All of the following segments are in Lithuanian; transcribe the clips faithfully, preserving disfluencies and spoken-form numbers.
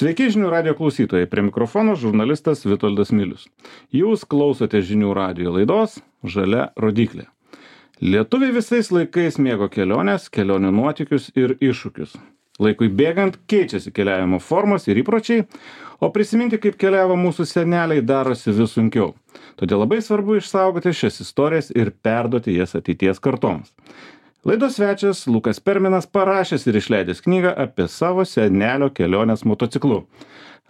Sveiki žinių radijo klausytojai, prie mikrofono žurnalistas Vitoldas Milius. Jūs klausote žinių radijo laidos Žalia rodyklė. Lietuviai visais laikais mėgo keliones, kelionių nuotykius ir iššūkius. Laikui bėgant keičiasi keliavimo formos ir įpročiai, o prisiminti, kaip keliavo mūsų seneliai, darosi vis sunkiau. Todėl labai svarbu išsaugoti šias istorijas ir perduoti jas ateities kartoms. Laidos svečias Lukas Perminas parašęs ir išleidęs knygą apie savo senelio keliones motociklu.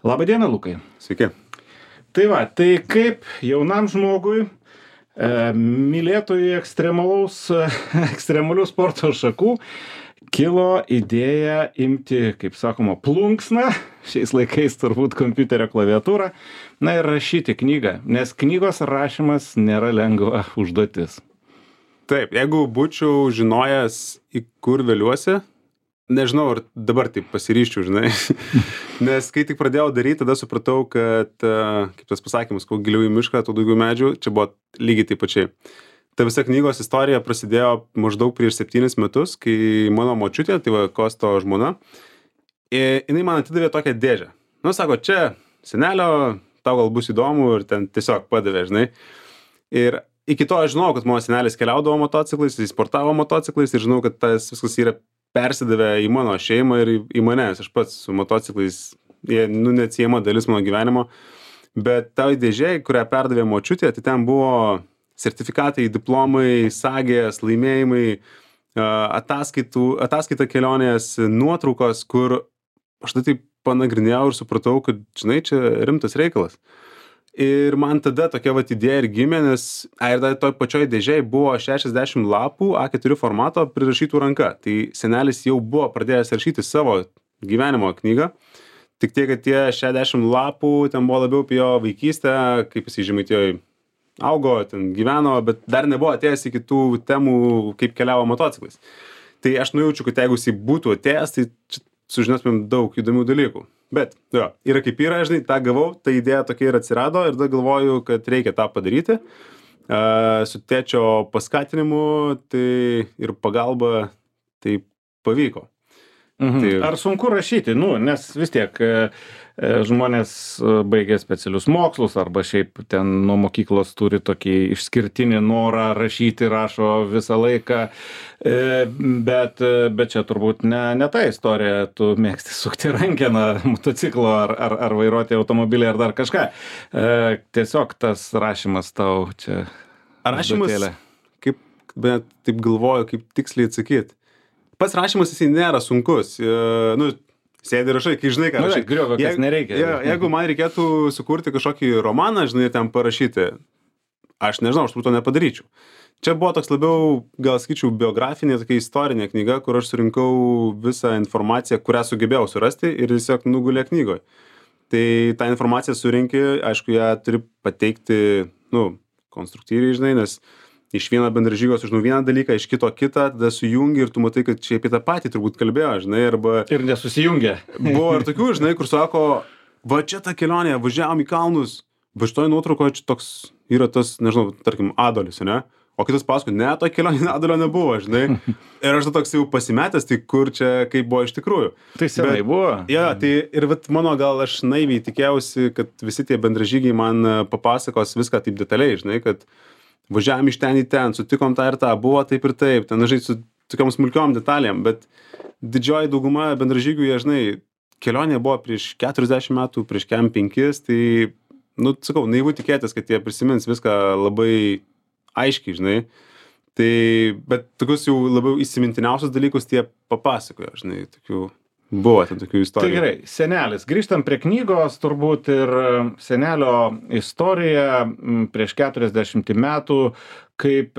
Labą dieną, Lukai. Sveiki. Tai va, tai kaip jaunam žmogui, e, mylėtojui ekstremalaus, ekstremalių sporto šakų, kilo idėja imti, kaip sakoma, plunksną, šiais laikais turbūt kompiuterio klaviatūrą, na ir rašyti knygą, nes knygos rašymas nėra lengva užduotis. Taip, jeigu būčiau žinojęs, į kur vėliuosi, nežinau, ar dabar taip pasiryščiau, žinai. Nes kai tik pradėjau daryti, tada supratau, kad, kaip tas pasakymas, kuo giliau į mišką, tuo daugiau medžių, čia buvo lygiai taip pačiai. Ta visa knygos istorija prasidėjo maždaug prieš septynis metus, kai mano močiutė, tai va Kosto žmona, jinai man atidavė tokią dėžę. Nu, sako, čia senelio, tau gal bus įdomu ir ten tiesiog padavė, žinai. Ir iki to aš žinau, kad mano senelis keliaudavo motociklais, jis sportavo motociklais ir žinau, kad tas viskas yra persidavę į mano šeimą ir į, į mane. Aš pats su motociklais, jie, nu, neatsiejama dalis mano gyvenimo. Bet tau dėžė, kurią perdavė močiutė, tai ten buvo sertifikatai, diplomai, sagės, laimėjimai, ataskaitų, ataskaita kelionės, nuotraukos, kur aš tai taip panagrinėjau ir supratau, kad, žinai, čia rimtas reikalas. Ir man tada tokia vat idėja ir gimė, nes a, ir dar toj pačioj dėžėj buvo šešiasdešimt lapų A keturi formato prirašytų ranka. Tai senelis jau buvo pradėjęs rašyti savo gyvenimo knygą. Tik tiek, kad tie šešiasdešimt lapų ten buvo labiau apie jo vaikystę, kaip jis Žemaitijoj augo, ten gyveno, bet dar nebuvo atėjęs iki tų temų, kaip keliavo motociklais. Tai aš nujaučiu, kad jeigu jis būtų atėjęs, tai sužinosime daug įdomių dalykų. Bet, jo, yra kaip yra, žinai, tą gavau, ta idėja tokia ir atsirado ir tada galvoju, kad reikia tą padaryti. Uh, su tėčio paskatinimu tai ir pagalba tai pavyko. Mhm. Tai... Ar sunku rašyti? Nu, nes vis tiek e, žmonės baigia specialius mokslus arba šiaip ten nuo mokyklos turi tokį išskirtinį norą rašyti, rašo visą laiką, e, bet, bet čia turbūt ne, ne ta istorija, tu mėgsti sukti rankeną motociklo ar, ar, ar vairuoti automobilį ar dar kažką. E, tiesiog tas rašymas tau čia... Ar rašymas, kaip, bet taip galvoju, kaip tiksliai atsakyti. Pats rašymas jisai nėra sunkus. E, nu, sėdi rašai, kai žinai, ką rašai. Nu, griovio, kas Je, nereikia. Je, jeigu man reikėtų sukurti kažkokį romaną, žinai, ten parašyti, aš nežinau, aš to nepadaryčiau. Čia buvo toks labiau, gal sakyčiau, biografinė, tokia istorinė knyga, kur aš surinkau visą informaciją, kurią sugebėjau surasti ir tiesiog nugulė knygoje. Tai tą informaciją surinki, aišku, ją turi pateikti, nu, konstruktyviai, žinai, nes iš vieno bendražygio sužinau vieną dalyką, iš kito kitą, tada sujungi ir tu matai, kad čia apie tą patį turbūt kalbėjo, žinai, arba... Ir nesusijungia. Buvo ir tokių, žinai, kur sako, va čia ta kelionė, važiavom į kalnus, va šitoj nuotraukoje čia toks yra tas, nežinau, tarkim, Adolis, ne? O kitas pasako, ne, to kelionė Adolio nebuvo, žinai. Ir aš toks jau pasimetęs, tai kur čia, kaip buvo iš tikrųjų. Tai senai Bet, buvo. Ja, tai ir vat mano gal aš naiviai tikėjausi, kad visi tie bendražygiai man papasakos viską taip detaliai, žinai, kad važiavom iš ten į ten, sutikom tą ir tą, buvo taip ir taip, ten, žinai, su tokiom smulkiom detalėm, bet didžioji dauguma bendražygių, jie, žinai, kelionė buvo prieš keturiasdešimt metų, prieš kem penkis, tai, nu, sakau, naivu tikėtis, kad jie prisimins viską labai aiškiai, žinai, tai, bet tokius jau labiau įsimintiniausius dalykus tie papasakojo, žinai, tokių... Buvo ten tokių istorijų. Tai gerai, senelis. Grįžtam prie knygos, turbūt ir senelio istorija prieš keturiasdešimt metų, kaip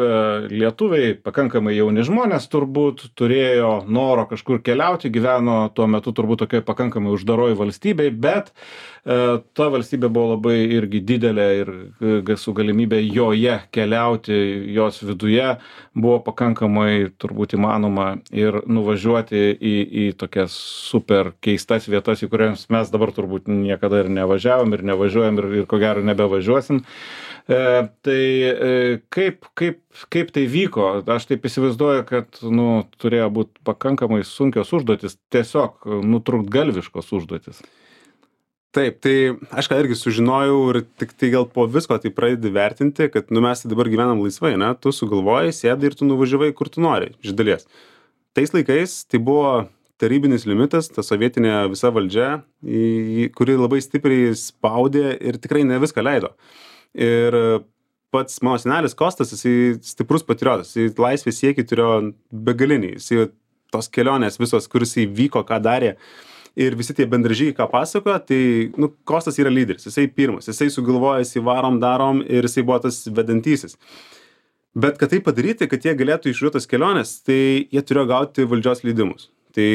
lietuviai, pakankamai jauni žmonės, turbūt turėjo noro kažkur keliauti, gyveno tuo metu turbūt tokioje pakankamai uždaroj valstybėj, bet e, ta valstybė buvo labai irgi didelė ir su galimybė joje keliauti, jos viduje buvo pakankamai turbūt įmanoma ir nuvažiuoti į, į tokias super keistas vietas, į kurias mes dabar turbūt niekada ir nevažiavom ir nevažiuojam ir, ir ko gero nebevažiuosim. E, tai e, kaip, kaip, kaip tai vyko? Aš taip įsivaizduoju, kad nu, turėjo būti pakankamai sunkios užduotis, tiesiog nutrūktgalviškos užduotis. Taip, tai aš ką irgi sužinojau ir tik tai gal po visko tai pradedi vertinti, kad nu, mes dabar gyvenam laisvai, ne? Tu sugalvojai, sėdai ir tu nuvažiavai kur tu nori, iš dalies. Tais laikais tai buvo tarybinis limitas, ta sovietinė visa valdžia, į, kuri labai stipriai spaudė ir tikrai ne viską leido. Ir pats mano senelis Kostas, jisai stiprus patriotas, jisai laisvės siekį turėjo begalinį, jisai tos kelionės visos, kur jisai vyko, ką darė. Ir visi tie bendražygiai, ką pasakoja, tai, nu, Kostas yra lyderis, jisai pirmas, jisai sugalvoja, jisai varom, darom ir jisai buvo tas vedantysis. Bet kad tai padaryti, kad jie galėtų išvažiuoti tas keliones, tai jie turėjo gauti valdžios leidimus. Tai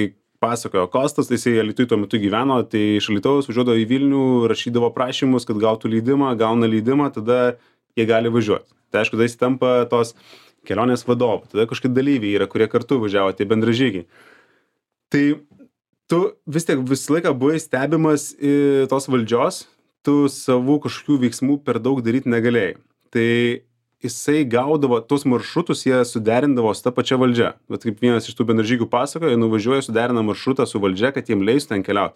pasakojo Kostas, tai jisai Alytuj tuo metu gyveno, tai iš Alytaus važiuodavo į Vilnių, rašydavo prašymus, kad gautų leidimą, gauna leidimą, tada jie gali važiuoti. Tai aišku, tada jis tampa tos kelionės vadovu, tada kažkokie dalyviai yra, kurie kartu važiavo, tie bendražygiai. Tai tu vis tiek visą laiką buvai stebimas į tos valdžios, tu savų kažkokių veiksmų per daug daryti negalėjai. Tai jisai gaudavo tos maršrutus, jie suderindavo su ta pačia valdžia. Bet kaip vienas iš tų bendražygių pasakojo, jie nuvažiuoja, suderina maršrutą su valdžia, kad jiem leistų ten keliauti.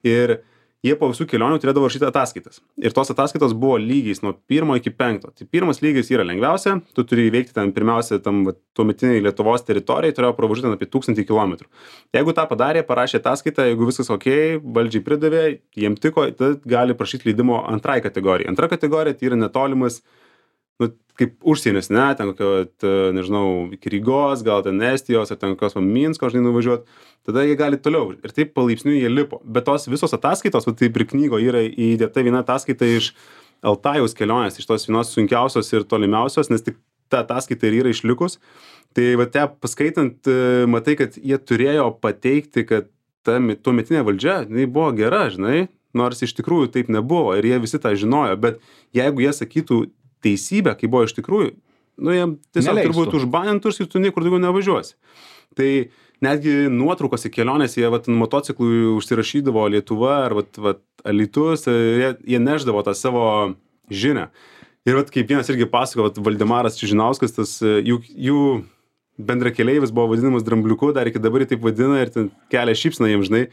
Ir jie po visų kelionių turėdavo rašyti ataskaitas. Ir tos ataskaitos buvo lygiais nuo pirmo iki penkto. Tai pirmas lygis yra lengviausia, tu turi įveikti ten pirmiausia tam va, tuometiniai Lietuvos teritorijai, turėjo pravažiuoti ten apie tūkstantį kilometrų. Jeigu tą padarė, parašė ataskaitą, jeigu viskas ok, valdžiai pridavė, jiem tiko, tada gali prašyti leidimo antrai kategorijai. Antra kategorija tai yra netolimas, nu, kaip užsienis, ne, ten kokio, nežinau, iki Rygos, gal ten Estijos, ar ten kokios Minsko, žinai, nuvažiuoti, tada jie gali toliau. Ir taip palaipsniui jie lipo. Bet tos visos ataskaitos, va, taip ir knygo yra įdėta viena ataskaita iš Altajaus kelionės, iš tos vienos sunkiausios ir tolimiausios, nes tik ta ataskaita ir yra išlikus. Tai va, te paskaitant, matai, kad jie turėjo pateikti, kad ta tuometinė valdžia, jinai buvo gera, žinai, nors iš tikrųjų taip nebuvo ir jie visi tą žinojo. Bet jeigu jie sakytų teisybę, kai buvo iš tikrųjų, nu, jie tiesiog Neleistų. turbūt užbanintus ir tu niekur daugiau nevažiuosi. Tai netgi nuotraukos į kelionės, jie vat, motociklui užsirašydavo Lietuva ar vat, vat, Alytus, jie, jie neždavo tą savo žinią. Ir vat, kaip vienas irgi pasako, vat, Valdemaras Čižinauskas, tas jų, jų bendrakeleivis buvo vadinamas Drambliuku, dar iki dabar jį taip vadina ir ten kelia šypsną jiems, žinai.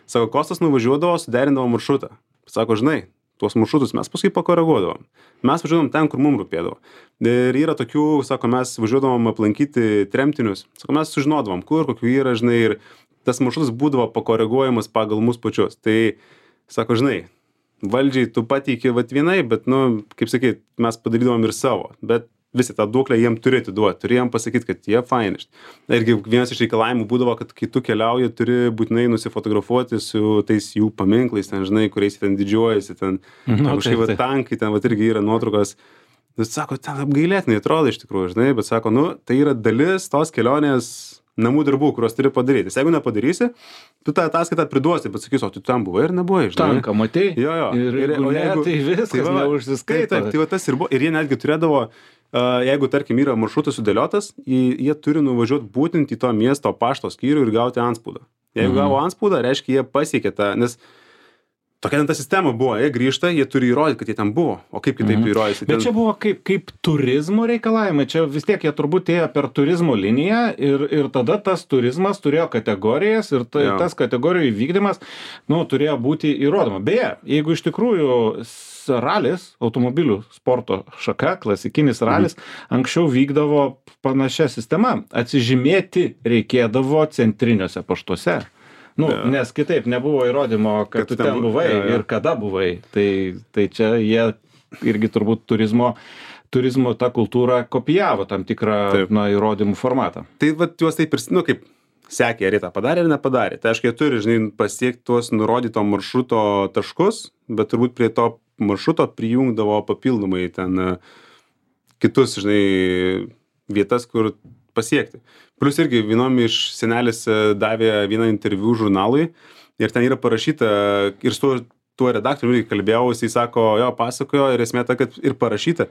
Sako, Kostas nuvažiuodavo, suderindavo maršrutą. Sako, žinai, tuos maršrutus mes paskui pakoreguodavom. Mes važiuodavom ten, kur mums rūpėdavo. Ir yra tokių, sako, mes važiuodavom aplankyti tremtinius. Sako, mes sužinodavom, kur, kokių yra, žinai, ir tas maršrutas būdavo pakoreguojamas pagal mus pačius. Tai, sako, žinai, valdžiai tu pateiki vat vienai, bet, nu, kaip sakyt, mes padarydavom ir savo. Bet visi tą duoklę jiem turi atiduoti, turi jiem pasakyti, kad jie faini. Irgi vienas iš reikalavimų būdavo, kad kai tu keliauji, turi būtinai nusifotografuoti su tais jų paminklais, ten, žinai, kuriais ten didžiuojasi, ten Nu, kažkaip taip, va, taip. tankai, ten va, irgi yra nuotraukos. Bet sako, ten apgailėtinai atrodo iš tikrųjų, žinai, bet sako, nu, tai yra dalis tos kelionės namų darbų, kuriuos turi padaryti. Jeigu nepadarysi, tu tą ataskaitą priduosi, bet sakysi, o tu ten buvai ir nebuvai, žinai. Tanką matei? Jo, jo. Ir jeigu ne, tai viskas va, va, neužsiskaito. Taip, taip, tai va tas ir buvo. Ir jie netgi turėdavo, uh, jeigu, tarkim, yra maršrutas sudėliotas, jie, jie turi nuvažiuoti būtent į to miesto pašto skyrių ir gauti antspaudą. Jeigu Mhm. gavo antspaudą, reiškia, jie pasiekė tą, nes tokia ten ta sistema buvo, jie grįžta, jie turi įrodyti, kad jie ten buvo. O kaip kitaip Mhm. įrodyti? Bet čia buvo kaip, kaip turizmo reikalavimai, čia vis tiek jie turbūt ėjo per turizmo liniją ir, ir tada tas turizmas turėjo kategorijas ir tai, Jo. tas kategorijų įvykdymas, nu, turėjo būti įrodoma. Beje, jeigu iš tikrųjų s- ralis, automobilių sporto šaka, klasikinis ralis, mhm. anksčiau vykdavo panašia sistema. Atsižymėti reikėdavo centriniuose paštuose. Nu, Jo. nes kitaip nebuvo įrodymo, kad, Kad tu ten ten bu- buvai jo, jo. ir kada buvai. Tai, tai čia jie irgi turbūt turizmo, turizmo tą kultūrą kopijavo tam tikrą Taip. na, įrodymų formatą. Tai va juos taip ir, nu, kaip sekė, ar jie tą padarė ar nepadarė. Tai aišku, jie turi, žinai, pasiekti tuos nurodyto maršruto taškus, bet turbūt prie to maršruto prijungdavo papildomai ten e, kitus, žinai, vietas, kur pasiekti. Plus irgi vienom iš senelis e, davė vieną interviu žurnalui ir ten yra parašyta, ir su tuo, tuo redaktoriumi irgi kalbėjau, jisai sako, jo, pasakojo ir esmė ta, kad ir parašyta,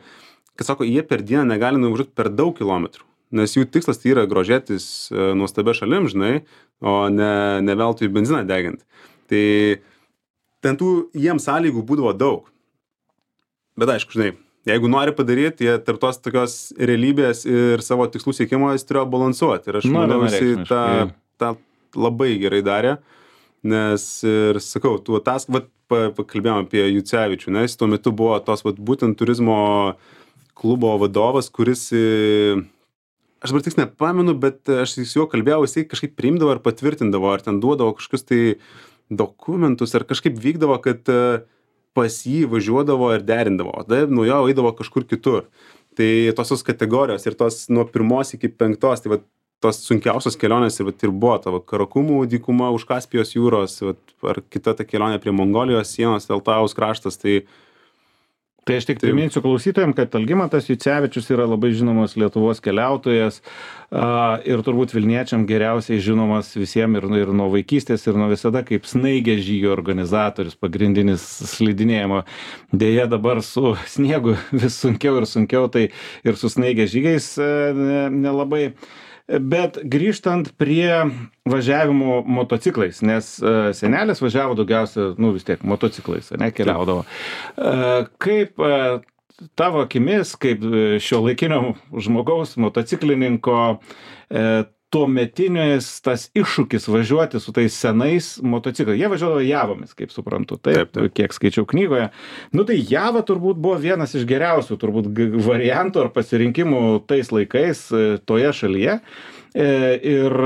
kad sako, jie per dieną negali nuvažiuoti per daug kilometrų. Nes jų tikslas tai yra grožėtis e, nuostabia šalim, žinai, o ne, ne veltui benziną degint. Tai ten tų jiems sąlygų būdavo daug. Bet aišku, žinai, jeigu nori padaryti, jie tarp tos tokios realybės ir savo tikslų siekimo jis turėjo balansuoti. Ir aš Na, manau, jisai tą, vienareikšmiškai. tą labai gerai darė. Nes ir sakau, tu atask, vat pa, pakalbėjom apie Jucevičių, nes tuo metu buvo tos vat, būtent turizmo klubo vadovas, kuris, aš dabar tiks nepamenu, bet aš su juo kalbėjau, jisai kažkaip priimdavo ar patvirtindavo, ar ten duodavo kažkokius tai dokumentus, ar kažkaip vykdavo, kad pas jį važiuodavo ir derindavo, o tada nuo jo eidavo kažkur kitur. Tai tos kategorijos ir tos nuo pirmos iki penktos, tai va, tos sunkiausios kelionės ir, va, ir buvo tavo Karakumų dykuma už Kaspijos jūros, va, ar kita ta kelionė prie Mongolijos sienos, Altajaus kraštas, tai Tai aš tik priminsiu klausytojams, kad Algimantas Jucevičius yra labai žinomas Lietuvos keliautojas a, ir turbūt Vilniečiam geriausiai žinomas visiems ir, ir nuo vaikystės, ir nuo visada kaip snaigės žygio organizatorius, pagrindinis slidinėjimo. Deja, dabar su sniegu vis sunkiau ir sunkiau, tai ir su snaigės žygiais nelabai. Bet grįžtant prie važiavimo motociklais, nes uh, senelis važiavo daugiausia, nu vis tiek, motociklais, ne, keliaudavo. Uh, kaip uh, tavo akimis, kaip šiuolaikinio žmogaus, motociklininko, uh, tuometinis tas iššūkis važiuoti su tais senais motociklais. Jie važiuodavo Javomis, kaip suprantu, taip, taip, taip. Kiek skaičiau knygoje. Nu tai Java turbūt buvo vienas iš geriausių turbūt variantų ar pasirinkimų tais laikais toje šalyje. Ir,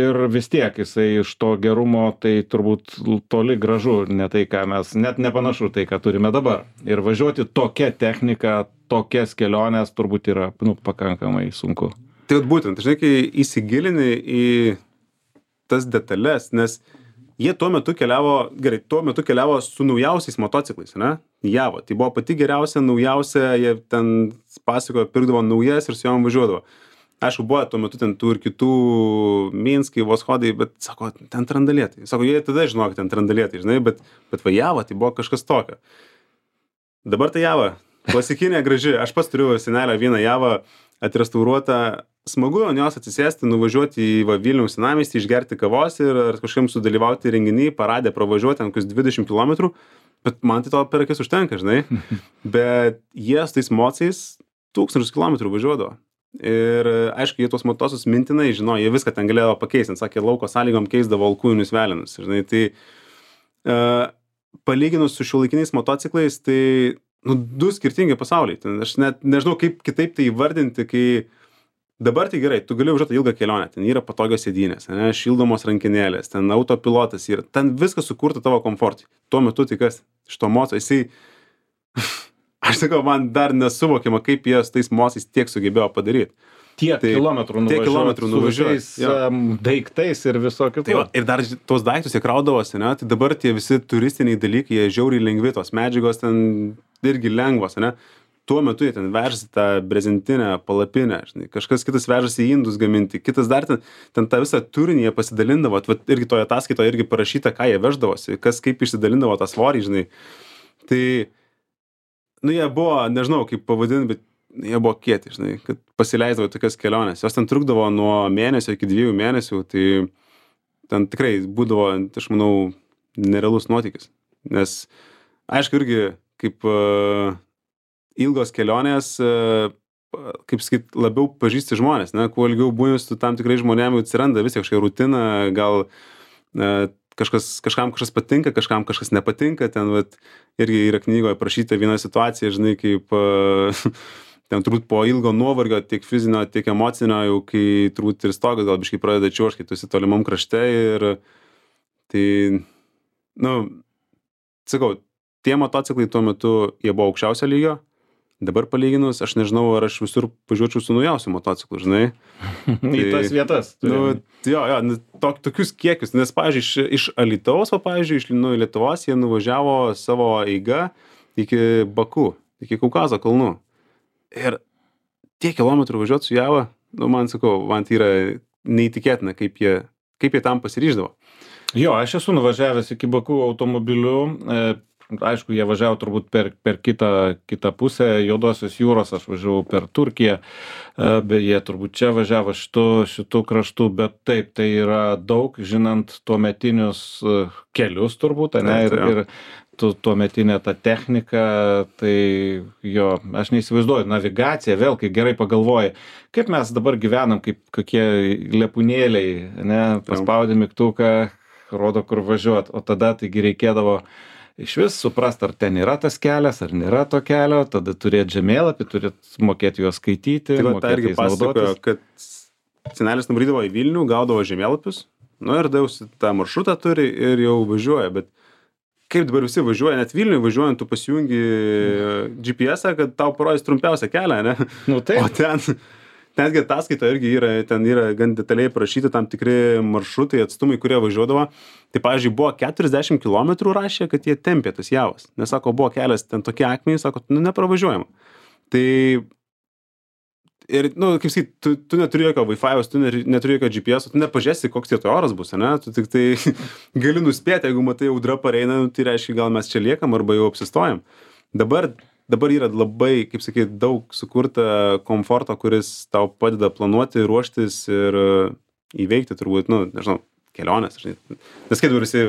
ir vis tiek jisai iš to gerumo tai turbūt toli gražu, ne tai, ką mes, net nepanašu tai, ką turime dabar. Ir važiuoti tokia technika, tokias keliones turbūt yra, nu, pakankamai sunku. Tai būtent, žinai, kai įsigilini į tas detalės, nes jie tuo metu keliavo, gerai, tuo metu keliavo su naujausiais motociklais, ne? Javo, tai buvo pati geriausia, naujausia, jie ten pasakojo, pirkdavo naujas ir su jom važiuodavo. Aišku, buvo tuo metu ten tų ir kitų Minskai, Voshodai, bet, sako, ten trandalėtai. Sako, jie tada žinojo, kad ten trandalėtai, žinai, bet, bet va Java, tai buvo kažkas tokio. Dabar tai Java, klasikinė, graži, aš pats turiu senelę vieną Javą atrestauruotą. Smagu ant jos atsisėsti, nuvažiuoti į va, Vilniaus senamiestį, išgerti kavos ir kažkam sudalyvauti renginį, paradę pravažiuoti ten kokius dvidešimt kilometrų, bet man tai to per akis užtenka, žinai. Bet jie su tais mocais tūkstančius kilometrų važiuodavo. Ir aišku, jie tuos motosus mintinai žinojo, jie viską ten galėjo pakeisti, sakė, lauko sąlygom keisdavo alkūnius velinus. Žinai, tai uh, palyginus su šiuolaikiniais motociklais, tai nu, du skirtingi pasauliai. Ten, aš net nežinau, kaip kitaip tai įvardinti, kai dabar tai gerai, tu gali važiuoti ilgą kelionę, ten yra patogios sėdynės, ne, šildomos rankinėlės, ten autopilotas yra, ten viskas sukurta tavo komfortui. Tuo metu tai kas, iš to moco, jisai, aš sakau, man dar nesuvokiama, kaip jie su tais mocais tiek sugebėjo padaryti. Tiek tai, kilometrų nuvažiuoti, tiek kilometrų nuvažiuoti su um, daiktais ir visokių. Tai va, ir dar tos daiktus jie kraudavosi, ne, tai dabar tie visi turistiniai dalykai, jie žiauriai lengvi, tos medžiagos ten irgi lengvos, ne. Tuo metu jie ten vežasi tą brezentinę palapinę, žinai, kažkas kitas vežasi į indus gaminti, kitas dar ten, ten tą visą turinį jie pasidalindavo, vat, irgi toje ataskaitoje irgi parašyta, ką jie veždavosi, kas kaip išsidalindavo tą svorį, žinai. Tai, nu, jie buvo, nežinau, kaip pavadinti, bet jie buvo kieti, žinai, kad pasileisdavo tokias keliones. Jos ten trukdavo nuo mėnesio iki dviejų mėnesių, tai ten tikrai būdavo, aš manau, nerealus nuotykis. Nes, aišku, irgi kaip uh, ilgos kelionės, kaip sakyt, labiau pažįsti žmonės, ne? Kuo ilgiau būni su tam tikrai žmonėmis, atsiranda vis kažkokia rutina, gal kažkas, kažkam kažkas patinka, kažkam kažkas nepatinka, ten vat, irgi yra knygoje aprašyta viena situacija, žinai, kaip ten turbūt po ilgo nuovargio, tiek fizinio, tiek emocinio, jau kai turbūt ir stogas gal biškai pradeda čiuožti, kai tu esi tolimam krašte ir tai, nu, sakau, tie motociklai tuo metu jie buvo aukščiausio lygio. Dabar palyginus, aš nežinau, ar aš visur važiuočiau su naujausiu motociklu, žinai. Tai, į tas vietas. Nu, jo, jo, to, tokius kiekius, nes, pavyzdžiui, iš, iš Alytaus, o, pavyzdžiui, iš nu, Lietuvos jie nuvažiavo savo eiga iki Baku, iki Kaukazo kalnų. Ir tiek kilometrų važiuoti su Java, nu, man sakau, man tai yra neįtikėtina, kaip jie, kaip jie tam pasiryždavo. Jo, aš esu nuvažiavęs iki Baku automobiliu. E, Aišku, jie važiavo turbūt per, per kitą, kitą pusę Juodosios jūros, aš važiavau per Turkiją, bet jie turbūt čia važiavo šitų, šitų kraštų, bet taip, tai yra daug, žinant tuometinius kelius turbūt, ne, ir, ir tu, tuometinė ta technika, tai jo, aš neįsivaizduoju, navigacija, vėl, kai gerai pagalvoji, kaip mes dabar gyvenam, kaip kokie lepūnėliai, ne, paspaudė mygtuką, rodo, kur važiuot, o tada taigi reikėdavo iš vis suprast, ar ten yra tas kelias, ar nėra to kelio, tada turėti žemėlapį, turėti mokėti juos skaityti, Tai va, tą mokėti irgi jais pasakojo, naudotis. kad senelis nuvarydavo į Vilnių, gaudavo žemėlapius, nu ir dausi tą maršrutą turi ir jau važiuoja, bet kaip dabar visi važiuoja, net Vilniui važiuojant, tu pasijungi G P S-ą, kad tau parodys trumpiausią kelią, ne? Nu taip. O ten, netgi ataskaito irgi yra, ten yra gan detaliai parašyti tam tikri maršrutai, atstumai, kurie važiuodavo. Tai, pavyzdžiui, buvo keturiasdešimt kilometrų rašė, kad jie tempė tas javas. Nes, sako, buvo kelias ten tokie akmenys, sako, nu, nepravažiuojama. Tai, ir, nu, kaip sakyt, tu, tu neturi jokio Wi-Fi'aus, tu neturi jokio G P S, tu nepažiūrėsi, koks tie oras bus, ne? Tu tik tai gali nuspėti, jeigu matai audra pareina, nu, tai reiškia, gal mes čia liekam arba jau apsistojam. Dabar dabar yra labai, kaip sakyt, daug sukurta komforto, kuris tau padeda planuoti, ruoštis ir įveikti turbūt, nu, nežinau, kelionės. Nes kai dabar visi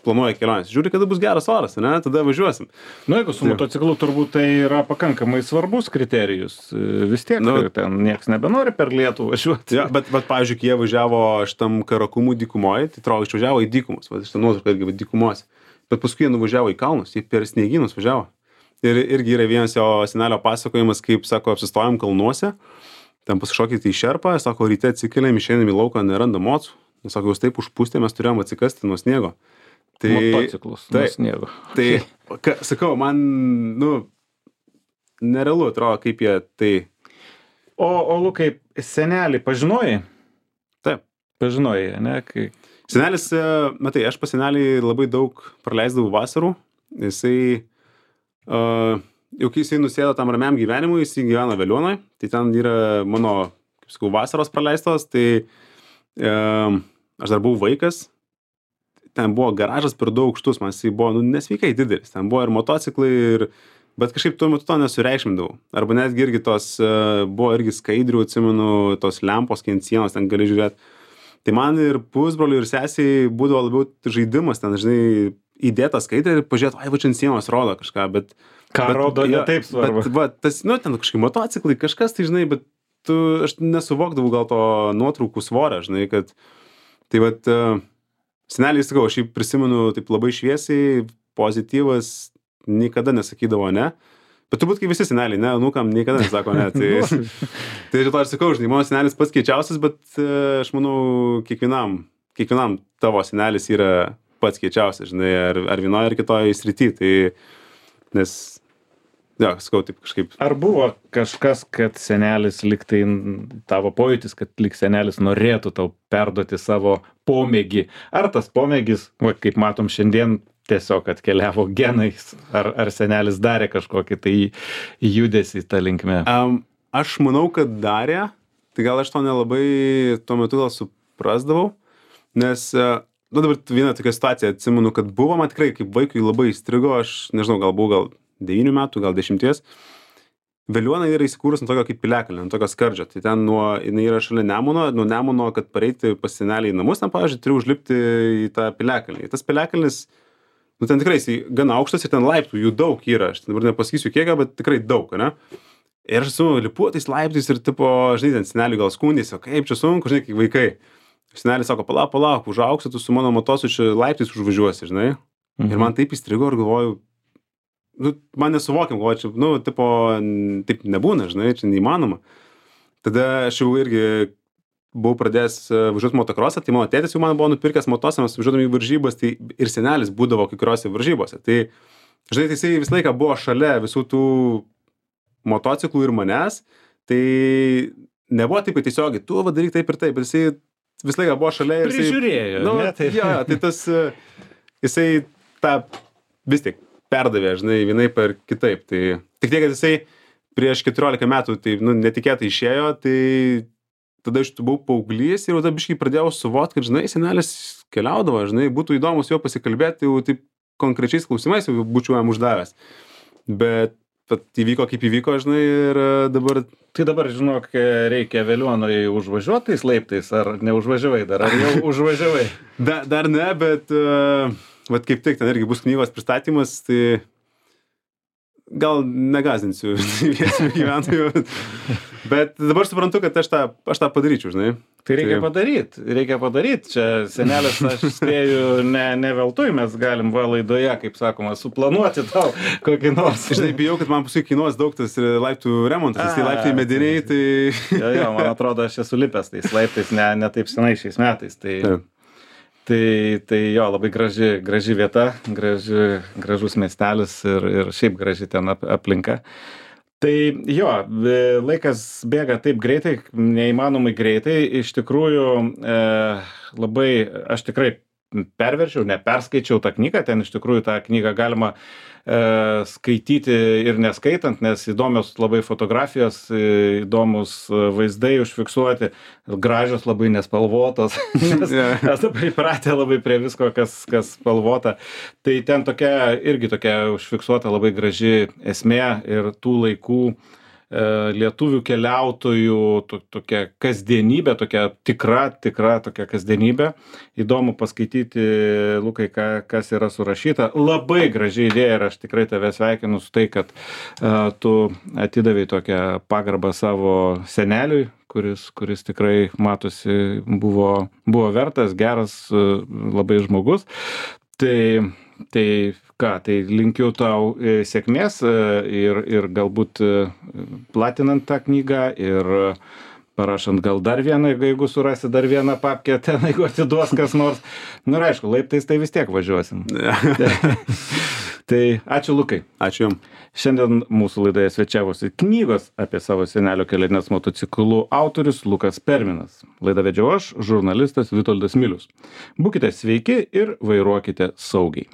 planuoja kelionės, žiūri, kada bus geras oras, ne, tada važiuosim. Nu, jeigu su motociklu turbūt tai yra pakankamai svarbus kriterijus. Vis tiek, nu, ten nieks nebenori per lietų važiuoti. Ja, bet, bet, pavyzdžiui, kai jie važiavo šitam Karakumų dykumoje, tai atrodo, išvažiavo į dykumus, va, šitą nuotrauką irgi dykumos. Bet paskui jie nuvažiavo į kalnus, jie per sniegynus važiavo. Ir irgi yra vienas jo senelio pasakojimas, kaip, sako, apsistojom kalnuose, ten pasišokite į šerpą, sako, ryte atsikėlėm, išeinam į lauką, nerandam mocų. Sako, jūs taip užpūstė, mes turėjom atsikasti nuo sniego. Tai, motociklus tai, nuo sniego. Tai, ka, sakau, man, nu, nerealu atrodo, kaip jie tai... O, o Lukai, senelį pažinojai? Taip. Pažinojai, ne? Kai... Senelis, matai, aš pas senelį labai daug praleisdavau vasarų. Jisai... Uh, jau kai jisai nusėdo tam ramiam gyvenimui, jisai gyvena Veliuonoje, tai ten yra mano, kaip sakau, vasaros praleistos, tai um, aš dar buvau vaikas, ten buvo garažas per daug aukštus, man jisai buvo, nu, nesveikai didelis, ten buvo ir motociklai, ir, bet kažkaip tuo metu to nesureikšmindavau, arba netgi irgi tos, uh, buvo irgi skaidrių, atsimenu, tos lempos, kai ant sienos ten gali žiūrėti, tai man ir pusbroliui ir sesiai būdavo labiau žaidimas, ten, žinai, įdėta skaidrė ir pažiūrėt, ai, va čia ant sienos rodo kažką, bet... Ką bet, rodo, ja, ne taip svarbu. Bet, va, tas, nu, ten kažkaip motociklai, kažkas, tai, žinai, bet tu, aš nesuvokdavau gal to nuotraukų svorio, žinai, kad... Tai, va, uh, seneliai, sakau, aš jį prisimenu taip labai šviesiai, pozityvas, niekada nesakydavo ne, bet turbūt kaip visi seneliai, ne, nukam niekada nesako ne, tai... tai to aš sakau, žinai, mano senelis pats keičiausias, bet uh, aš manau, kiekvienam, kiekvienam tavo senelis yra... pats keičiausias, žinai, ar, ar vienoje ar kitoje srity, tai, nes, jo, sakau, taip kažkaip. Ar buvo kažkas, kad senelis liktai, tavo pojūtis, kad lik senelis norėtų tau perduoti savo pomėgį, ar tas pomėgis, va, kaip matom šiandien, tiesiog atkeliavo genais, ar, ar senelis darė kažkokį tai judesį tą linkmę? Um, aš manau, kad darė, tai gal aš to nelabai tuo metu gal suprasdavau, nes uh, nu, dabar vieną tokią situaciją atsimenu, kad buvo, man tikrai kaip vaikui labai įstrigo, aš nežinau, gal buvau gal devynių metų, gal dešimties. Veliuona yra įsikūrus ant tokio kaip piliakalnio, ant tokio skardžio. Tai ten nuo, jinai yra šalia Nemuno, nuo Nemuno, kad pareiti pas senelį į namus, ten, pavyzdžiui, turiu užlipti į tą piliakalnį. Tas piliakalnis, nu, ten tikrai jis gana aukštas ir ten laiptų, jų daug yra. Aš dabar nepasakysiu kiek, bet tikrai daug, ne? Ir aš su lipuotais laiptais ir, tipo, žinai, ten senelį gal skundėsi, o kaip čia sunku, žinai, kaip vaikai. Senelis sako, palauk, palauk, užaugsi, tu su mano motosu čia laiptais užvažiuosi, žinai. Mhm. Ir man taip įstrigo ir galvoju, nu, man nesuvokiam, galvoju, čia, nu, tipo, taip nebūna, žinai, čia neįmanoma. Tada aš jau irgi buvau pradėjęs važiuoti motokrosą, tai mano tėtis jau man buvo nupirkęs motosą, mes važiuodami į varžybas, tai ir senelis būdavo kai kuriuose varžybose. Tai, žinai, tai jisai visą laiką buvo šalia visų tų motociklų ir manęs, tai nebuvo taip, kad tiesiogiai, tu vadaryk taip ir taip, bet jisai visą laiką buvo šalia ir jisai... Prižiūrėjo, nu, ne? Tai... Jo, tai tas, jisai tą vis tik perdavė, žinai, vienaip ar kitaip. Tai tik tiek, kad jisai prieš keturiolika metų, tai, nu, netikėtai išėjo, tai tada aš buvau paauglys ir jau tada biškai pradėjau suvokti, kad, žinai, senelis keliaudavo, žinai, būtų įdomus jo pasikalbėti, jau taip konkrečiais klausimais jau būčiau jam uždavęs. Bet bet įvyko kaip įvyko, žinai, ir dabar... Tai dabar, žinok, reikia Veliuonoje užvažiuoti tais laiptais, ar neužvažiavai dar, ar jau užvažiavai? Da, dar ne, bet, uh, vat kaip tik, ten irgi bus knygos pristatymas, tai gal negazdinsiu vietinių gyventojų, bet dabar suprantu, kad aš tą, aš tą padaryčiau, žinai. Tai reikia padaryt, reikia padaryt. Čia senelis, aš spėju, ne, ne veltui mes galim va laidoje, kaip sakoma, suplanuoti tau kokį nors. Žinai, bijau, kad man paskui kainuos daug tas laiptų remontas, nes tai laiptai mediniai, tai... Jo, jo, man atrodo, aš esu lipęs tais laiptais, ne, ne taip senai šiais metais. Tai, tai, tai jo, labai graži, graži vieta, graži, gražus miestelis ir, ir šiaip graži ten ap, aplinka. Tai jo, laikas bėga taip greitai, neįmanomai greitai. Iš tikrųjų, e, labai, aš tikrai perverčiau, neperskaičiau tą knygą, ten iš tikrųjų tą knygą galima e, skaityti ir neskaitant, nes įdomios labai fotografijos, įdomus vaizdai užfiksuoti, gražios labai nespalvotos, nes esu pripratę labai prie visko, kas, kas spalvota. Tai ten tokia, irgi tokia užfiksuota labai graži esmė ir tų laikų lietuvių keliautojų to, tokia kasdienybė, tokia tikra, tikra tokia kasdienybė. Įdomu paskaityti, Lukai, ką, kas yra surašyta. Labai graži idėja ir aš tikrai tave sveikinu su tai, kad uh, tu atidavai tokią pagarbą savo seneliui, kuris, kuris tikrai matosi buvo, buvo vertas, geras, uh, labai žmogus. Tai Tai ką, tai linkiu tau sėkmės ir, ir galbūt platinant tą knygą ir parašant gal dar vieną, jeigu surasi dar vieną papkę ten, jeigu atiduos kas nors. Nu ir aišku, laiptais tai vis tiek važiuosim. Tai ačiū, Lukai. Ačiū jums. Šiandien mūsų laidoje svečiavosi knygos apie savo senelio keliones motociklu autorius Lukas Perminas. Laidą vedžiau aš, žurnalistas Vitoldas Milius. Būkite sveiki ir vairuokite saugiai.